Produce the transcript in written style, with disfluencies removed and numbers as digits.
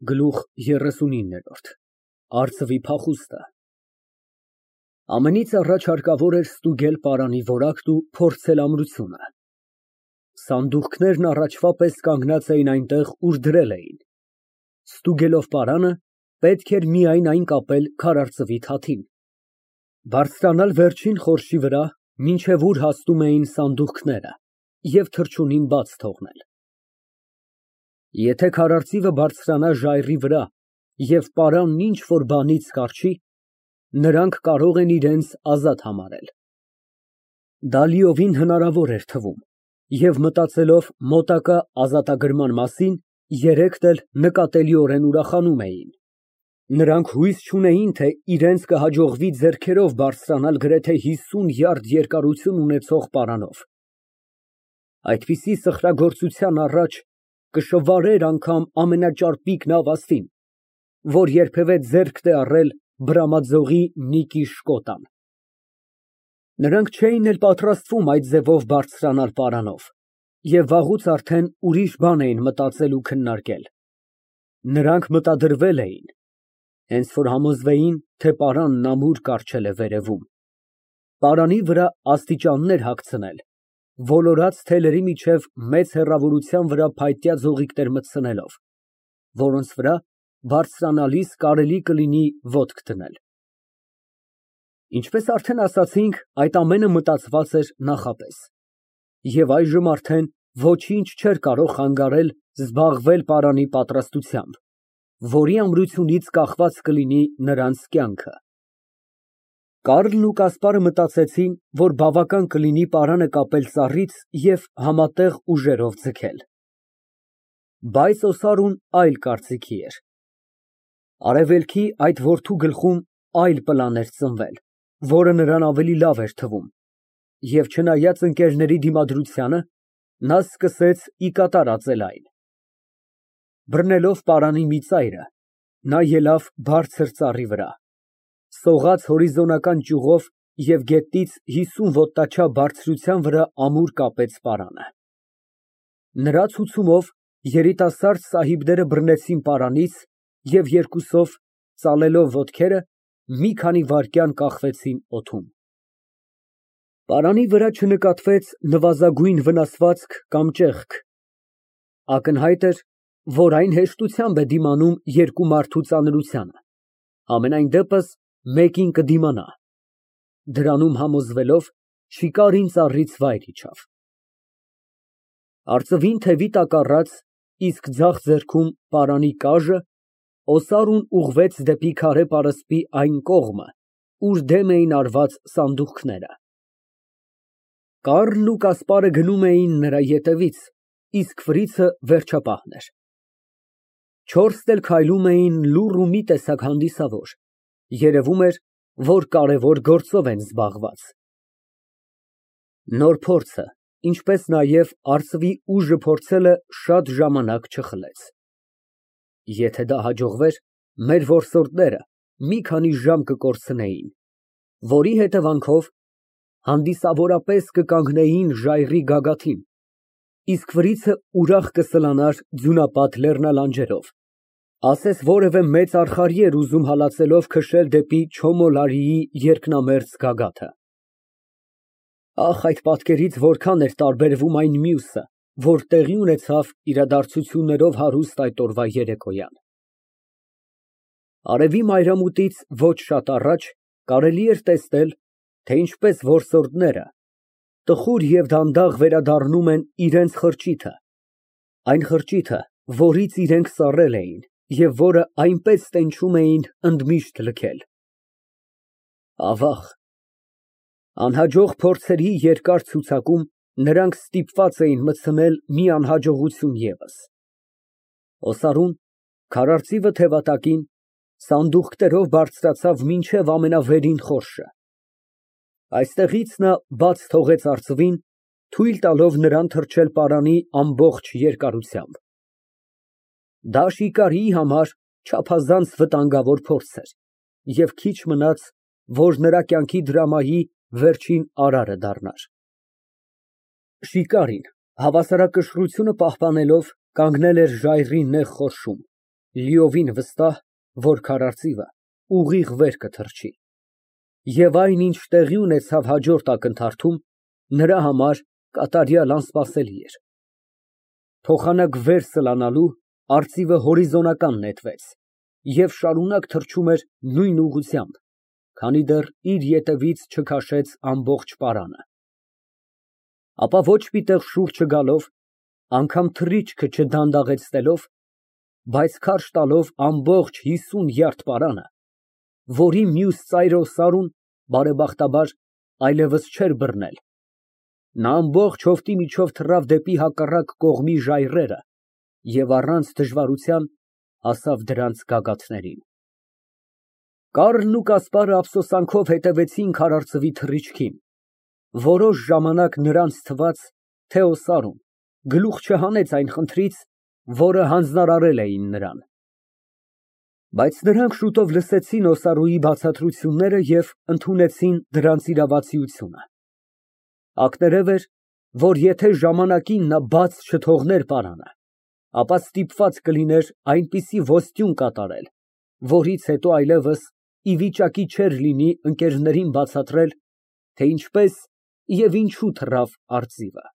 Գլուխ 39 Արծվի փախուստը Ամենից առաջ հարկավոր էր ստուգել պարանի որակն ու փորձել ամրությունը։ Սանդուղքներն առաջվա պես կանգնած էին այնտեղ, ուր դրել էին։ Ստուգելով պարանը, պետք էր միայն այն կապել քարարծվի թաթին, բարձրանալ վերջին խորշի վրա, մինչև ուր հասնում էին սանդուղքները, և թռչունին բաց թողնել։ Եթե քարարծիվը բարձրանա ժայռի վրա և պարանն ինչ֊որ բանից կառչի, նրանք կարող են իրենց ազատ համարել։ Դա լիովին հնարավոր էր թվում, և մտածելով մոտակա ազատագրման մասին, երեքն էլ նկատելիորեն ուրախանում էին։ Նրանք հույս չունեին, թե իրենց կհաջողվի ձեռքերով բարձրանալ գրեթե 50 յարդ երկարություն ունեցող պարանով։ Այդպիսի սխրագործության առաջ կշվարեր անգամ ամենաճարպիկ նավաստին, որ երբևէ ձեռքդ է առել բրամաձողի մի կիշ կոտան։ Նրանք չէին էլ պատրաստվում այդ ձևով բարձրանալ պարանով և վաղուց արդեն ուրիշ բան էին մտածել ու քննարկել։ Նրանք մտադրվել էին, հենց որ համոզվեին, թե պարանն ամուր կառչել է վերևում, պարանի վրա աստիճաններ հագցնել, ոլորած թելերի միջև մեծ հեռավորության վրա փայտյա ձողիկներ մտցնելով, որոնց վրա բարձրանալիս կարելի կլինի ոտք դնել։ Ինչպես արդեն ասացինք, այդ ամենը մտածված էր նախապես, և այժմ արդեն ոչինչ չէր կարող խանգարել զբաղվել պարանի պատրաստությամբ, որի ամրությունից կախված կլինի նրանց կյանքը։ Կարլն ու Կասպարը մտածեցին, որ բավական կլինի պարանը կապել ծառից և համատեղ ուժերով ձգել։ Բայց Օսարուն այլ կարծիքի էր։ Արևելքի այդ որդու գլխում այլ պլան էր ծնվել, որը նրան ավելի լավ էր թվում, և չնայած ընկերների դիմադրությանը, նա սկսեց ի կատար ածել այն։ Բռնելով պարանի մի ծայրը, նա ելավ բարձր ծառի վրա, սողաց հորիզոնական ճյուղով և գետնից 50 ոտնաչափ բարձրության վրա ամուր կապեց պարանը։ Նրա ցուցումով երիտասարդ սահիբները բռնեցին պարանից և երկուսով, ծալելով ոտքերը, մի քանի վայրկյան կախվեցին օդում։ Պարանի վրա չնկատվեց նվազագույն վնասվածք կամ ճեղք։ Ակնհայտ էր, որ այն հեշտությամբ է դիմանում երկու մարդու ծանրությանը, համենայն դեպս մեկին կդիմանա։ Դրանում համոզվելով, շիկարին ծառից վայր իջավ։ Արծվին թևի տակ առած, իսկ ձախ ձեռքում պարանի կաժը, Օսարուն ուղղվեց դեպի քարե պարսպի այն կողմը, ուր դեմ էին արված սանդուղքները։ Կարլն ու Կասպարը գնում էին նրա ետևից, իսկ ֆրիցը վերջապահն էր։ Չորսն էլ քայլում էին լուռ ու մի տեսակ հանդիսավոր, երևում էր, որ կարևոր գործով են զբաղված։ Նոր փորձը, ինչպես նաև արծվի ուժը փորձելը շատ ժամանակ չխլեց։ Եթե դա հաջողվեր, մեր որսորդները մի քանի ժամ կկորցնեին, որի հետևանքով հանդիսավորապես կկանգնեին ժայռի գագաթին, իսկ ֆրիցը ուրախ կսլանար ձյունապատ լեռնալանջերով, ասես որևէ մեծ արխալի էր ուզում հալածելով քշել դեպի Չոմոլարիի երկնամերձ գագաթը։ Ահ, այդ պատկերից որքան էր տարբերվում այն մյուսը, որ տեղի ունեցավ իրադարձություններով հարուստ այդ օրվա երեկոյան։ Արևի մայրամուտից ոչ շատ առաջ կարելի էր տեսնել, թե ինչպես որսորդները տխուր և դանդաղ վերադառնում են իրենց խրճիթը, այն խրճիթը, որից իրենք սառել էին և որը այնպես տենչում էին ընդմիշտ լքել։ Ավաղ, անհաջող փորձերի երկար ցուցակում նրանք ստիպված էին մտցնել մի անհաջողություն ևս։ Օսարուն, քարարծիվը թևատակին, սանդուղքներով բարձրացավ մինչև ամենավերին խորշը։ Այստեղից նա բաց թողեց արծվին, թույլ տալով նրան թռչել պարանի ամբողջ երկարությամբ։ Դա շիկարիի համար չափազանց վտանգավոր փորձ էր, և քիչ մնաց, որ նրա կյանքի դրամայի վերջին արարը դառնար։ Շիկարին, հավասարակշռությունը պահպանելով, կանգնել էր ժայռի նեղ խորշում, Լիովին վստահ, որ քարարծիվը ուղիղ վեր կթռչի։ Եվ այն, ինչ տեղի ունեցավ հաջորդ ակնթարթում, նրա համար կատարյալ անսպասելի էր։ Փոխանակ վեր սլանալու, արծիվը հորիզոնական նետվեց և շարունակ թռչում էր նույն ուղղությամբ, քանի դեռ իր ետևից չքաշեց ամբողջ պարանը։ Ապա ոչ մի տեղ շուռ չգալով, անգամ թռիչքը չդանդաղեցնելով, բայց քարշ տալով ամբողջ 50 յարդ պարանը, որի մյուս ծայրով սարուն, բարեբախտաբար, այլևս չէր բռնել, նա ամբողջ հովտի միջով թռավ դեպի հակառակ կողմի ժայռերը և առանց դժվարության հասավ դրանց գագաթներին։ Կառլն ու Կասպարը ափսոսանքով հետևեցին քարայրծվի թռիչքին, որոշ ժամանակ նրանց թվաց, թե օսարում գլուխ չհանեց այն խնդրից, որը հանձնարարել էին նրան։ Բայց նրանք շուտով լսեցին օսարուի բացատրությունները և ընդունեցին դրանց իրավացիությունը։ Ակներև էր, որ եթե ժամանակին նա բաց չթողներ պարանը, ապա ստիպված կլիներ այնպիսի ոստյուն կատարել, որից հետո այլևս ի վիճակի չէր լինի ընկերներին բացատրել, թե ինչպես և ինչու թռավ արծիվը։